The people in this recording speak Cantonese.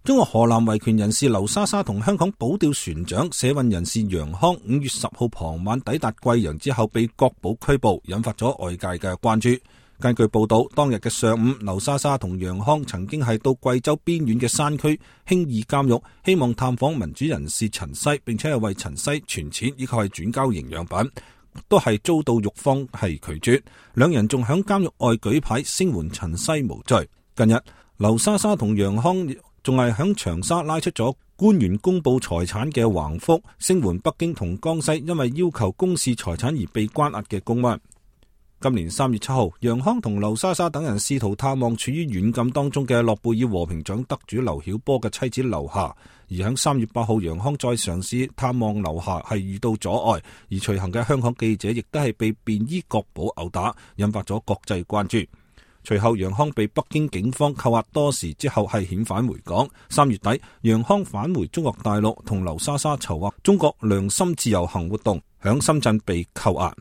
中國河南維權人士劉莎莎同香港保釣船長社運人士楊康5月10號傍晚抵達貴陽之後被國保拘捕，引發咗外界嘅關注。根據報道，當日嘅上午，劉莎莎同楊康曾經係到貴州邊遠嘅山區興義監獄，希望探訪民主人士陳西，並且係為陳西存錢以及係轉交營養品，都係遭到獄方係拒絕。兩人仲響監獄外舉牌聲援陳西無罪。近日，劉莎莎同楊康仲係響長沙拉出咗官員公布財產嘅橫幅，聲援北京同江西因為要求公示財產而被關押嘅公安。今年3月7號，楊康同劉莎莎等人試圖探望處於軟禁當中嘅諾貝爾和平獎得主劉曉波嘅妻子劉霞，而喺3月8號，楊康再嘗試探望劉霞係遇到阻礙，而隨行嘅香港記者亦都係被便衣國保毆打，引發咗國際關注。隨後，楊康被北京警方扣押多時之後係遣返回港。3月底，楊康返回中國大陸，同劉莎莎籌劃中國良心自由行活動，響深圳被扣押。